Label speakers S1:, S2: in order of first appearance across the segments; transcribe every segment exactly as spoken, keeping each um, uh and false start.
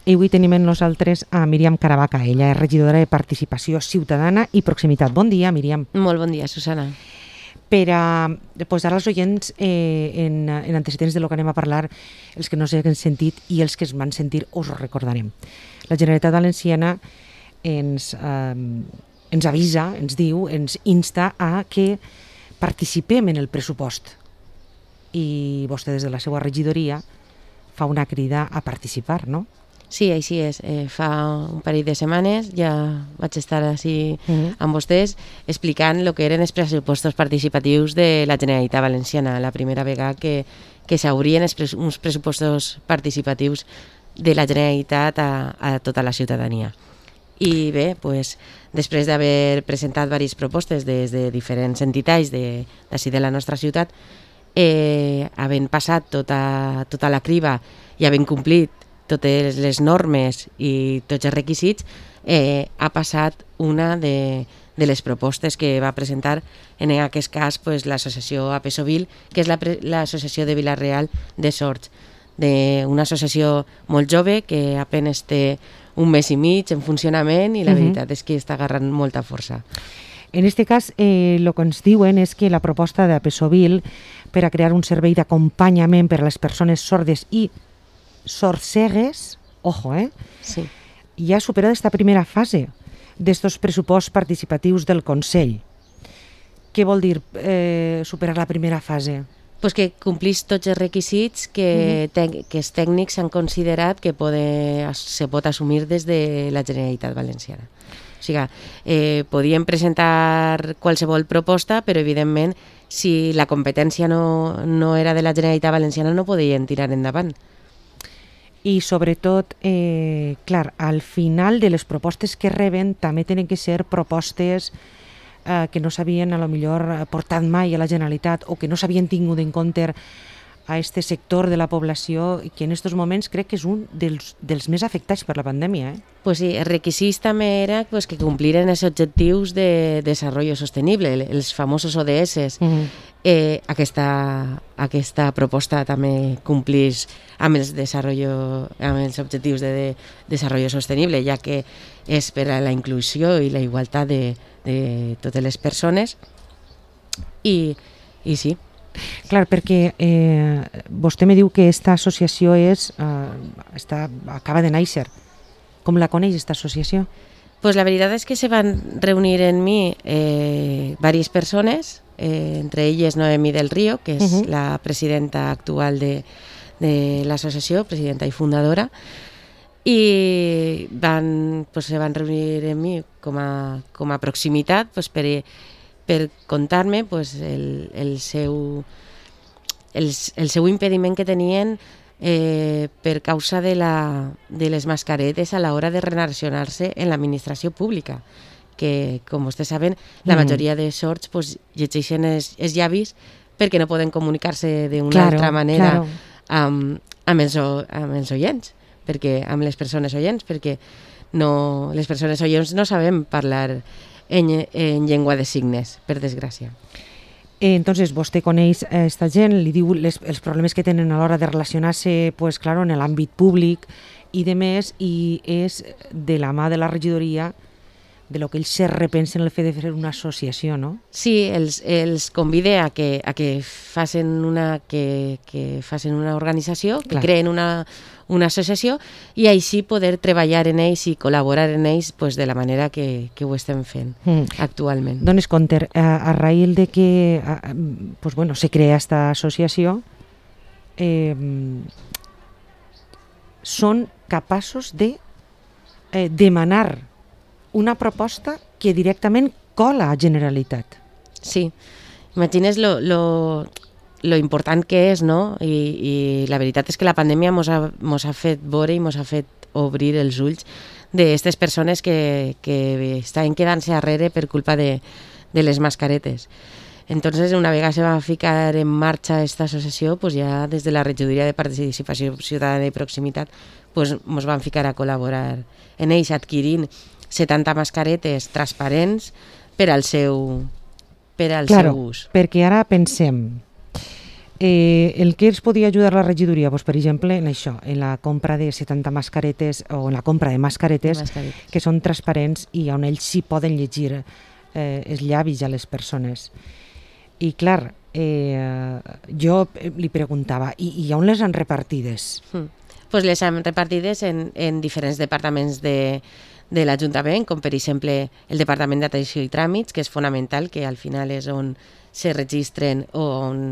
S1: I avui tenim amb nosaltres a Míriam Caravaca. Ella és regidora de Participació Ciutadana i Proximitat. Bon dia, Míriam.
S2: Molt bon dia, Susana.
S1: Per a posar als oients eh, en, en antecedents de lo que anem a parlar, els que no s'hagin sentit i els que es van sentir us ho recordarem. La Generalitat Valenciana ens, eh, ens avisa, ens diu, ens insta a que participem en el pressupost. I vostè des de la seva regidoria fa una crida a participar, no?
S2: Sí, així és. Eh, fa un parell de setmanes ja vaig estar així uh-huh. amb vostès explicant el que eren els pressupostos participatius de la Generalitat Valenciana, la primera vegada que, que s'obrien pres- uns pressupostos participatius de la Generalitat a, a tota la ciutadania. I bé, pues, després d'haver presentat diverses propostes des de diferents entitats de, d'ací de la nostra ciutat, eh, havent passat tota, tota la criba i havent complit totes les normes i tots els requisits, eh, ha passat una de, de les propostes que va presentar, en aquest cas, pues, l'associació Apesovil, que és la, l'associació de Vila-real de Sords, de una associació molt jove que apenas té un mes i mig en funcionament i la uh-huh. veritat és que està agarrant molta força.
S1: En aquest cas, eh, el que ens diuen és que la proposta d'Apesovil per a crear un servei d'acompanyament per a les persones sordes i sorcegues, ojo, eh?
S2: Sí.
S1: Ja ha superat esta primera fase d'estos pressuposts participatius del Consell. Què vol dir eh, superar la primera fase?
S2: Pues que complís tots els requisits que, uh-huh. te- que els tècnics han considerat que pode, se pot assumir des de la Generalitat Valenciana. O sigui, eh, podien presentar qualsevol proposta, però evidentment si la competència no, no era de la Generalitat Valenciana no podien tirar endavant.
S1: I sobretot, eh, clar, al final de les propostes que reben també tenen que ser propostes eh, que no s'havien a lo millor portat mai a la Generalitat o que no s'havien tingut en compte a este sector de la població i que en aquests moments crec que és un dels, dels més afectats per la pandèmia. Eh?
S2: Pues sí, els requisits també era pues, que compliren els objectius de desenvolupament sostenible, els famosos O D S. Uh-huh. Eh, aquesta, aquesta proposta també complís amb els, amb els objectius de, de desenvolupament sostenible, ja que és per a la inclusió i la igualtat de, de totes les persones. I, i sí.
S1: Clar, perquè eh, vostè me diu que aquesta associació és, eh, està, acaba de néixer. Com la coneix, aquesta associació?
S2: Pues la veritat és que se van reunir en mi eh, diverses persones, eh, entre elles Noemí del Río, que és uh-huh. la presidenta actual de, de l'associació, presidenta i fundadora, i van, pues, se van reunir en mi com a, com a proximitat pues, per, per contar-me pues, el, el, seu, el, el seu impediment que tenien eh, per causa de, la, de les mascaretes a l'hora de relacionar-se en l'administració pública, que, com vostès saben, la majoria de sords pues, llegeixen els, els llavis perquè no poden comunicar-se d'una claro, altra manera claro. amb, amb, els, amb els oients, perquè, amb les persones oients, perquè no, les persones oients no sabem parlar en, en llengua de signes, per desgràcia.
S1: Eh, entonces, vostè coneix aquesta gent, li diu les, els problemes que tenen a l'hora de relacionar-se pues, claro, en l'àmbit públic i de més, i és de la mà de la regidoria de lo que ells se repensen el fet de fer una associació, no?
S2: Sí, els, els convide a que, a que facin una, que, que facin una organització, que Clar. creen una, una associació i així poder treballar en ells i col·laborar en ells pues, de la manera que, que ho estem fent mm. actualment.
S1: Dones compte, a, a raïl de que a, pues, bueno, se crea aquesta associació, eh, són capaços de eh, demanar una proposta que directament cola a Generalitat.
S2: Sí, imagines lo, lo, lo important que és, no? I, i la veritat és que la pandèmia mos ha, mos ha fet veure i mos ha fet obrir els ulls d'aquestes persones que, que estaven quedant-se darrere per culpa de, de les mascaretes. Entonces, una vegada se va ficar en marxa aquesta associació, pues ja des de la regidoria de Participació Ciutadana i Proximitat pues, mos van ficar a col·laborar en ells, adquirint setanta mascaretes transparents per al seu, per al
S1: claro,
S2: seu ús.
S1: Perquè ara pensem, Eh, el que ens podia ajudar la regidoria? Pues, per exemple, en això, en la compra de setanta mascaretes o en la compra de mascaretes, mascaretes. que són transparents i on ells sí poden llegir eh, els llavis a les persones. I clar, eh, jo li preguntava, i, i on les han repartides?
S2: Mm. Pues les han repartides en, en diferents departaments de, de l'Ajuntament, com per exemple el Departament d'Atenció i Tràmits, que és fonamental, que al final és on se registren o on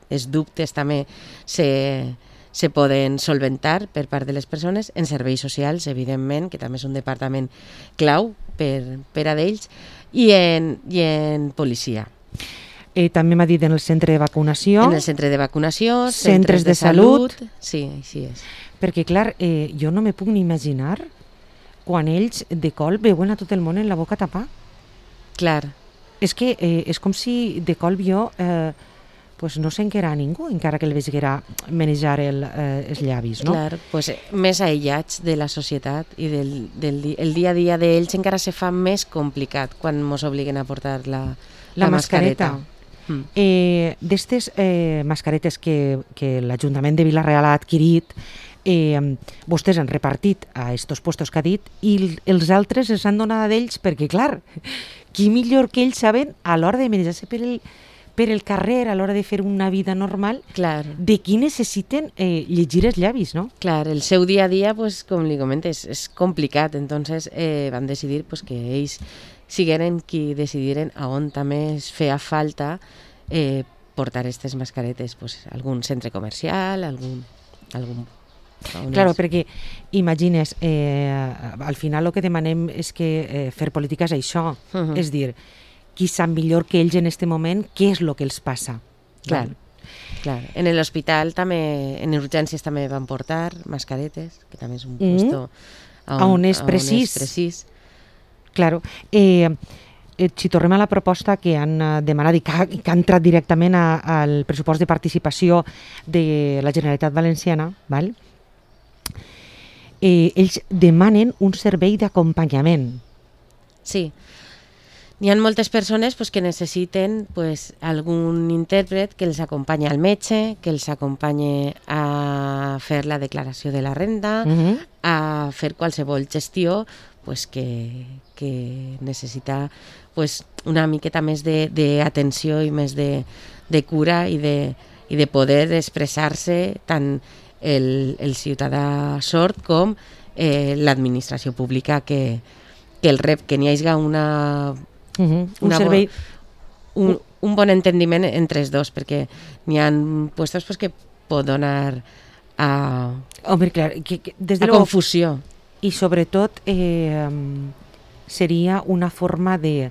S2: els dubtes també se, se poden solventar per part de les persones, en serveis socials, evidentment, que també és un departament clau per, per a d'ells, i en, i en policia.
S1: Eh, també m'ha dit en el centre de vacunació.
S2: En el centre de vacunació,
S1: centres, centres de, de salut. salut.
S2: Sí, així és.
S1: Perquè, clar, eh, jo no me puc ni imaginar quan ells de colp veuen a tot el món en la boca tapar.
S2: Clar.
S1: És que eh, és com si de colp jo eh, pues no s'enquera a ningú, encara que el veiguera manejar el, eh, els llavis, no?
S2: Clar, pues, més aïllats de la societat i del, del el dia a dia d'ells encara se fa més complicat quan ens obliguen a portar la, la,
S1: la
S2: mascareta.
S1: mascareta. Mm. Eh, D'estes eh, mascaretes que, que l'Ajuntament de Vila-real ha adquirit, eh, vostès han repartit a estos puestos que ha dit i els altres els han donat a d'ells perquè, clar, qui millor que ells saben a l'hora de manejar-se per el, per el carrer, a l'hora de fer una vida normal,
S2: clar,
S1: de qui necessiten eh, llegir els llavis, no?
S2: Clar, el seu dia a dia, pues, com li comentes, és complicat, entonces eh, van decidir pues, que ells sigueren qui decidiren a on també es feia falta eh, portar aquestes mascaretes, pues, algun centre comercial, algun... algun
S1: Claro, perquè imagines, eh, al final el que demanem és que eh, fer política és això, uh -huh. és dir, qui sap millor que ells en aquest moment què és el que els passa.
S2: Clar, clar. En l'hospital també, en urgències també van portar mascaretes, que també és un mm. puesto
S1: a on, a on és precís.
S2: On és precís.
S1: Claro. Eh, eh, si tornem a la proposta que han eh, demanat i que ha, que ha entrat directament a, al pressupost de participació de la Generalitat Valenciana, val? Eh, ells demanen un servei d'acompanyament.
S2: Sí. Hi ha moltes persones pues, que necessiten pues, algun intèrpret que els acompanyi al metge, que els acompanyi a fer la declaració de la renda, uh-huh. a fer qualsevol gestió pues, que, que necessita pues, una miqueta més d'atenció i més de, de cura i de, i de poder expressar-se tant el, el ciutadà sord com eh, l'administració pública que, que el rep, que n'hi hagi una...
S1: Uh-huh. Un
S2: una
S1: servei...
S2: Bon, un, un bon entendiment entre els dos, perquè n'hi ha puestos pues, que pot donar a,
S1: Home, clar, que, que, des de
S2: a
S1: lo...
S2: confusió.
S1: I sobretot eh, seria una forma de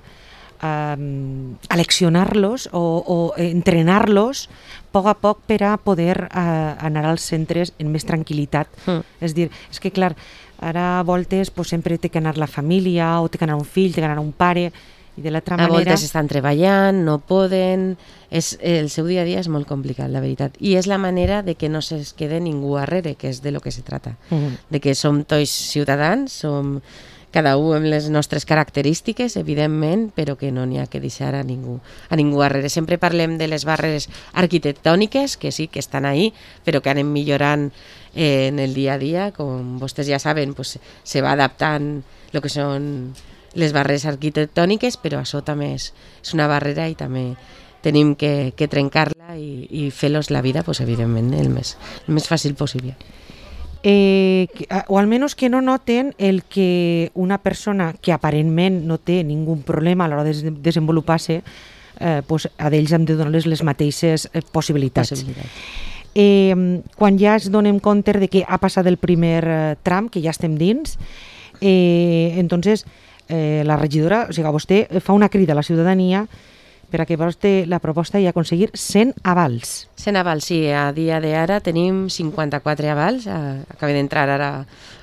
S1: um, aleccionar-los o, o entrenar-los a poc a poc per a poder uh, anar als centres en més tranquil·litat. Mm. És dir, és que clar, ara a voltes pues, sempre té que anar la família o té que anar un fill, té que anar un pare i de l'altra manera...
S2: A voltes estan treballant, no poden... És, el seu dia a dia és molt complicat, la veritat. I és la manera de que no es quede ningú arrere, que és de lo que se trata. Mm. De que som tots ciutadans, som cada un amb les nostres característiques, evidentment, però que no n'hi ha que deixar a ningú, a ningú arrere. Sempre parlem de les barreres arquitectòniques, que sí, que estan ahí, però que anem millorant eh, en el dia a dia. Com vostès ja saben, pues, se va adaptant el que són les barreres arquitectòniques, però això també és, és una barrera i també tenim que, que trencar-la i, i fer-los la vida, pues, evidentment, el més, el més fàcil possible.
S1: Eh, o almenys que no noten el que una persona que aparentment no té ningú problema a l'hora de desenvolupar-se, eh, pues a d'ells hem de donar-les les mateixes possibilitats.
S2: Possibilitats.
S1: Eh, quan ja es donem compte de que ha passat el primer eh, tram, que ja estem dins, eh, entonces eh, la regidora, o sigui, vostè fa una crida a la ciutadania per a que vostè la proposta i aconseguir cent avals.
S2: cent avals, sí. A dia d'ara tenim cinquanta-quatre avals. Acabem d'entrar ara,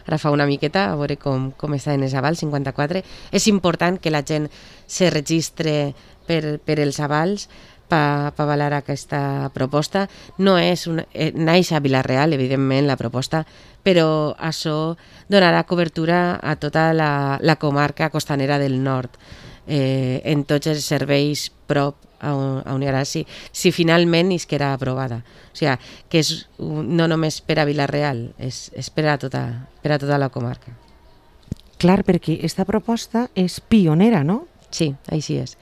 S2: ara fa una miqueta a veure com, com estan els avals, cinquanta-quatre. És important que la gent se registre per, per els avals per pa avalar aquesta proposta. No és una, eh, naix a Vila-real, evidentment, la proposta, però això donarà cobertura a tota la, la comarca costanera del nord. eh, en tots els serveis prop a on, a on hi haurà, si, si finalment és que era aprovada. O sigui, que és un, no només per a Vila-real, és, és per, a tota, per a tota la comarca.
S1: Clar, perquè aquesta proposta és pionera, no?
S2: Sí, així és.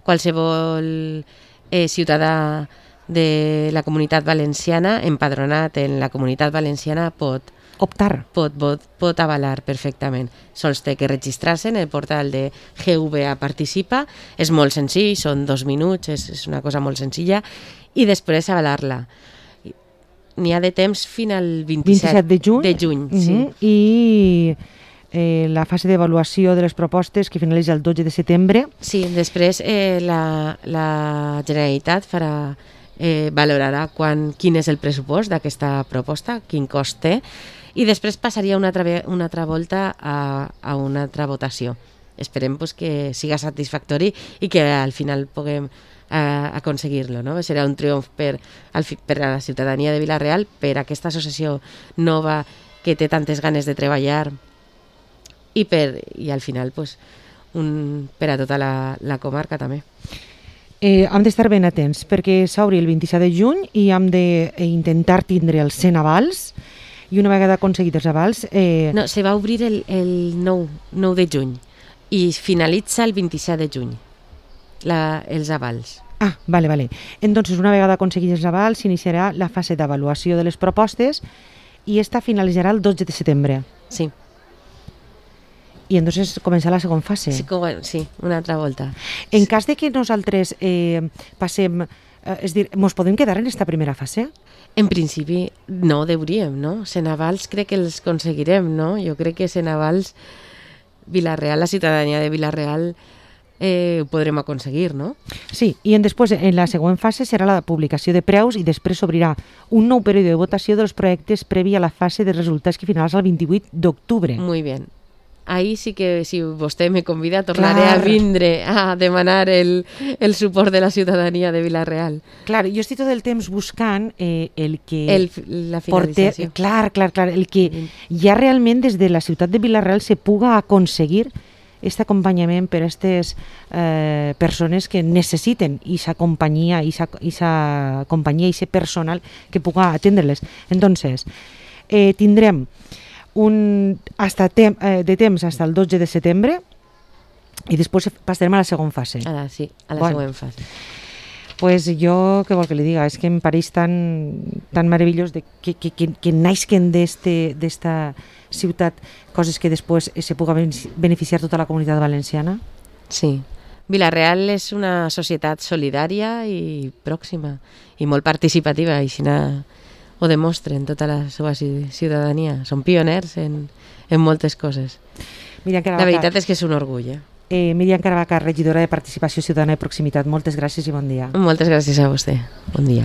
S2: Qualsevol eh, ciutadà de la Comunitat Valenciana, empadronat en la Comunitat Valenciana, pot
S1: optar.
S2: Pot, pot, pot avalar perfectament. Sols té que registrar-se en el portal de G V A Participa. És molt senzill, són dos minuts, és, és una cosa molt senzilla, i després avalar-la. N'hi ha de temps fins al vint-i-set
S1: de juny,
S2: de juny
S1: uh-huh.
S2: sí.
S1: I eh, la fase d'avaluació de les propostes que finalitza el dotze de setembre.
S2: Sí, després eh, la, la Generalitat farà, eh, valorarà quan, quin és el pressupost d'aquesta proposta, quin cost té, i després passaria una altra, una altra volta a, a una altra votació. Esperem pues, que siga satisfactori i que al final puguem eh, aconseguir-lo. No? Serà un triomf per, al, per a la ciutadania de Vila-real, per a aquesta associació nova que té tantes ganes de treballar i, per, i al final pues, un, per a tota la, la comarca també.
S1: Eh, hem d'estar ben atents perquè s'obri el vint-i-set de juny i hem d'intentar tindre els cent avals. I una vegada aconseguit els avals... Eh...
S2: No, se va obrir el, el nou de juny i finalitza el vint-i-set de juny, la, els avals.
S1: Ah, vale, vale. Entonces, una vegada aconseguit els avals, s'iniciarà la fase d'avaluació de les propostes i esta finalitzarà el dotze de setembre.
S2: Sí.
S1: I entonces començarà la segona fase.
S2: Sí, com, sí, una altra volta.
S1: En cas de que nosaltres eh, passem... Eh, és dir, mos podem quedar en esta primera fase?
S2: En principi no deuríem, no? Senavals crec que els aconseguirem, no? Jo crec que Senavals, Vila-real, la ciutadania de Vila-real eh, ho podrem aconseguir, no?
S1: Sí, i en després en la següent fase serà la publicació de preus i després s'obrirà un nou període de votació dels projectes previ a la fase de resultats que finalitzarà el vint-i-vuit d'octubre.
S2: Muy bien. Ahí sí que, si vostè me convida, tornaré
S1: Clar.
S2: a vindre a demanar el, el suport de la ciutadania de Vila-real.
S1: Clar, jo estic tot el temps buscant eh, el que...
S2: El, la finalització.
S1: Porter, clar, clar, clar, el que ja realment des de la ciutat de Vila-real se puga aconseguir aquest acompanyament per a aquestes eh, persones que necessiten aquesta companyia, aquesta companyia, aquest personal que puga atendre-les. Entonces, eh, tindrem un hasta tem, eh, de temps fins al dotze de setembre i després passarem a la segona fase.
S2: A la, sí, a la
S1: bueno,
S2: següent fase.
S1: Pues jo, què vol que li diga, és que em pareix tan, tan meravellós de que, que, que, que naixen d'esta ciutat coses que després se puga beneficiar tota la comunitat valenciana.
S2: Sí. Vila-real és una societat solidària i pròxima i molt participativa, i així ho demostren tota la seva ciutadania. Són pioners en, en moltes coses. La veritat és que és un orgull. Eh?
S1: Eh, Míriam Caravaca, regidora de Participació Ciutadana i Proximitat. Moltes gràcies i bon dia.
S2: Moltes gràcies a vostè. Bon dia.